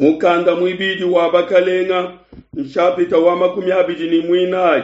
Mukanda muibidi wa Bakalenga, nshapita wa 24.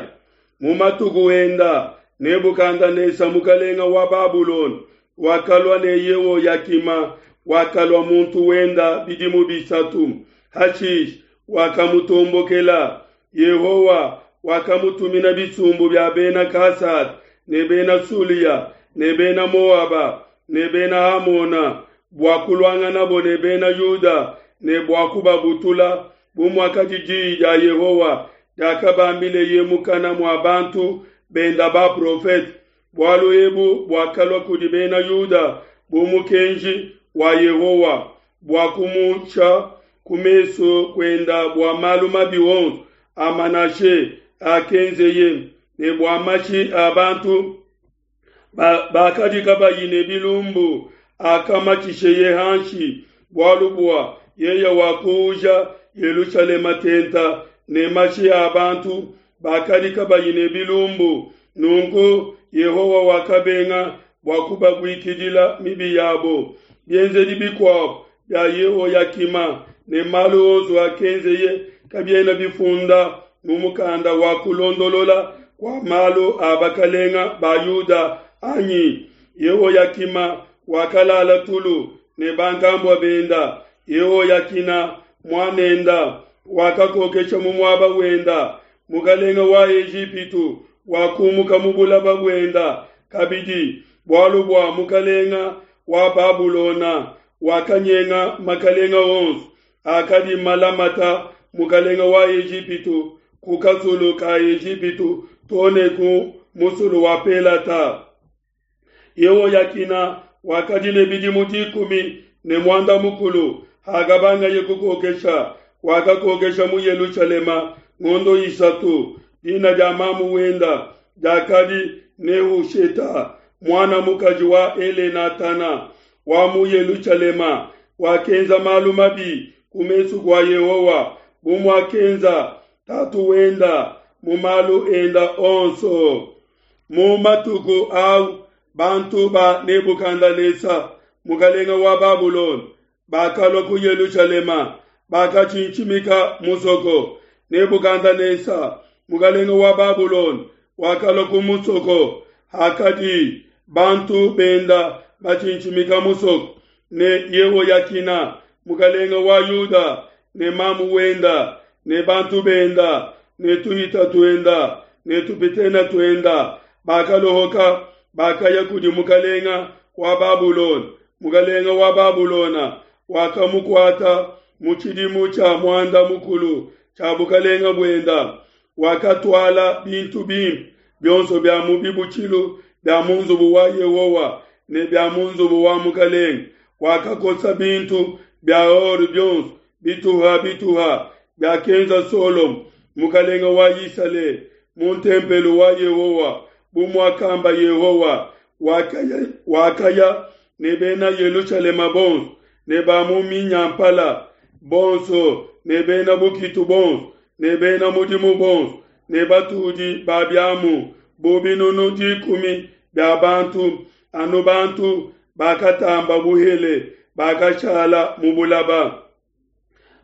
Mu matuku enda, Nebukadanesa mukalenga wa Babulona wakalua ne Yehoyakima wakalua muntu wenda bidimu bisatu. Hashishe wakamutombokela. Yehowa wakamutumina bisumbu bia bena Kasada ne bena Sulia ne bena Moaba ne bena Amona bua kuluanganabo ne bena Yuda ne bua kubabutula, bu muakadi diyi dia Yehowa diakabambileye mukana mua bantu benda baprofete. Bualu ebu buakalua kudi bena Yuda bu mukenji wa Yehowa bua kumusha ku mesu kuenda bua malu mabi onso a Manashe akenzeye, ne bua mashi a bantu bakadi kabayi ne bilumbu akamatshisheye hanshi, bualu bua yeye wakuuja Yelushalema tenta ne mashi a bantu bakadi kabayi ne bilumbu. Nunku Yehowa wakabenga bua kubabuikidila mibi yabo. Bienzedi bikuabo bia Yehoyakima ne malu onso akenzeye kabiena bifunda mu mukanda wa kulondolola kua malu a bakalenga ba Yuda anyi? Yehoyakima wakalala tulu ne bankambua benda. Yehoyakina muanenda wakakokesha mu muaba wenda. Mukalenga wa Ejipitu wakumuka mu bulaba buenda kabidi, bualu bua mukalenga wa Babulona wakanyenga makalenga onso akadi malamata mukalenga wa Ejipitu ku kasulu ka Ejipitu too ne ku musulu wa Pelata. Yehoyakina wakadi ne bidimu 13 hakabangaye kukokesha, wakakokesha mu Yelushalema ngondo isatu. Dina dia mamu wenda diakadi Nehusheta, muana mukaji wa Elenatana wa mu Yelushalema. Wakenza malu mabi ku mesu kua Yehowa, bu muakenza tatu wenda mu malu enda onso. Mu matuku au bantu ba Nebukadanesa mukalenga wa Babulona bakalua ku Yelushalema, bakatshintshimika musoko. Nebukadanesa mukalenga wa Babulona wakalua ku musoko hakadi bantu benda batshintshimika musoko, ne Yehoyakina mukalenga wa Yuda ne mamu wenda ne bantu benda ne tuhita tuenda ne tupitena tuenda bakalohoka, bakaya kudi mukalenga wa Babulona. Mukalenga wa Babulona wakamukuata mu tshidimu tshia muanda mukulu tshia bukalenga buenda. Wakatuala bintu bimpe bionso bia mu bibutshilu bia mu nzubu wa Yehowa ne bia mu nzubu wa mukalenge. Wakakosa bintu bia or bionso bituha bituha biakenza Solomo mukalenge wa Isalele mu ntempelo wa Yehowa, bu muakamba Yehowa. Wakaya, wakaya ne bena Yelushalema bonso ne ba mu minyampala bonso ne bena bukitu bonso ne bena mudimu bonso ne batudi ba biamu bu 10,000 bia bantu, anu bantu bakatamba buhele bakashala mu bulaba.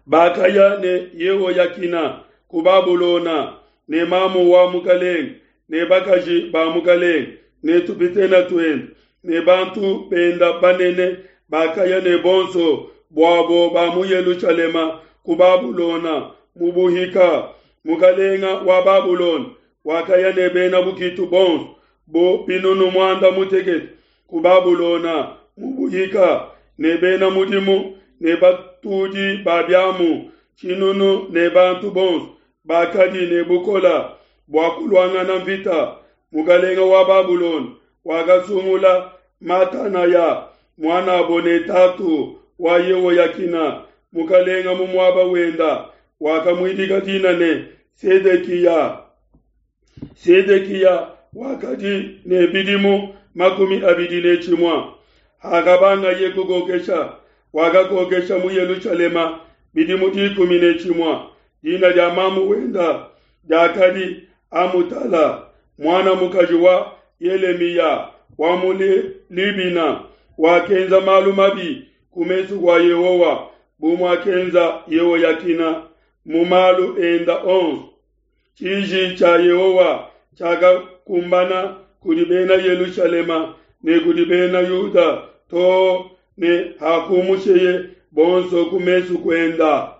Bakaya ne Yehoyakina ku Babulona ne mamu wa mukalenge ne bakaji ba mukalenge ne tupitena tuende ne bantu benda banene bakaya ne bonso buabo ba mu Yelushalema ku Babulona mu buhika. Mukalenga wa Babulona wakaya ne bena bukitu bonso bu 60,000 ku Babulona mu buhika, ne bena mudimu ne batudi ba biamu tshinunu ne bantu bonso bakadi ne bukola bua kuluangana mvita. Mukalenga wa Babulona wakasungula Matanaya muanabo ne tatu wa Yehoyakina mukalenga mu muaba wenda, wakamuidika dina ne Sedekiya. Sedekiya wakadi ne bidimu 21 hakabangaye kukokesha, wakakokesha mu Yelushalema bidimu 11. Dina dia mamu wenda diakadi Amutala, muana mukaji wa Yelemiya wa mu Libina. Wakenza malu mabi ku mesu kua Yehowa. bu muakenza Yehoyakina mu malu enda onso. Tshiji tshia Yehowa tshiakakumbana kudi Bena Yelushalema ne kudi Bena Yuda too ne hakumusheye bonso ku mesu kuenda.